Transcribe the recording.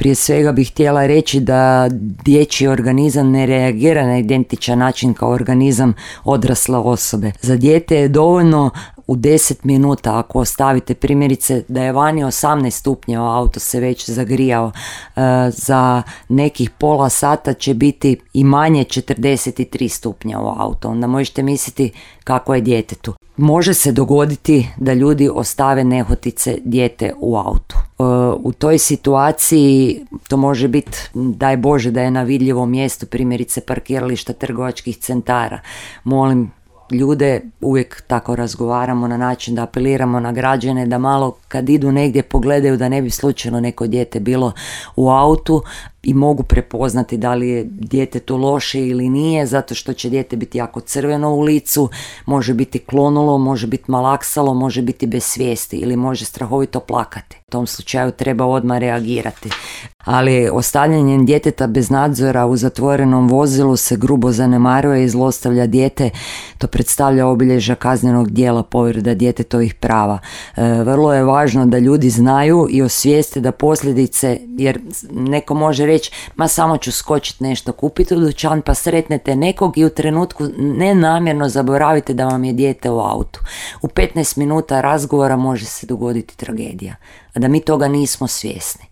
Prije svega bih htjela reći da dječji organizam ne reagira na identičan način kao organizam odrasle osobe. Za dijete je dovoljno u 10 minuta, ako ostavite primjerice da je vani 18 stupnjeva, auto se već zagrijao, za nekih pola sata će biti i manje 43 stupnja u auto. Onda možete misliti kako je djetetu. Može se dogoditi da ljudi ostave nehotice dijete u autu. U toj situaciji to može biti, daj Bože da je na vidljivom mjestu, primjerice parkirališta trgovačkih centara. Molim ljude, uvijek tako razgovaramo na način da apeliramo na građane da malo kad idu negdje pogledaju da ne bi slučajno neko dijete bilo u autu i mogu prepoznati da li je djetetu loše ili nije, zato što će dijete biti jako crveno u licu, može biti klonulo, može biti malaksalo, može biti bez svijesti ili može strahovito plakati. U tom slučaju treba odmah reagirati. Ali ostavljanjem djeteta bez nadzora u zatvorenom vozilu se grubo zanemaruje i zlostavlja dijete. To predstavlja obilježja kaznenog djela povreda djetetovih prava. Vrlo je važno da ljudi znaju i osvijeste da posljedice, jer neko može reći, ma samo ću skočiti nešto kupiti u dućan, pa sretnete nekog i u trenutku nenamjerno zaboravite da vam je dijete u autu. U 15 minuta razgovora može se dogoditi tragedija, a da mi toga nismo svjesni.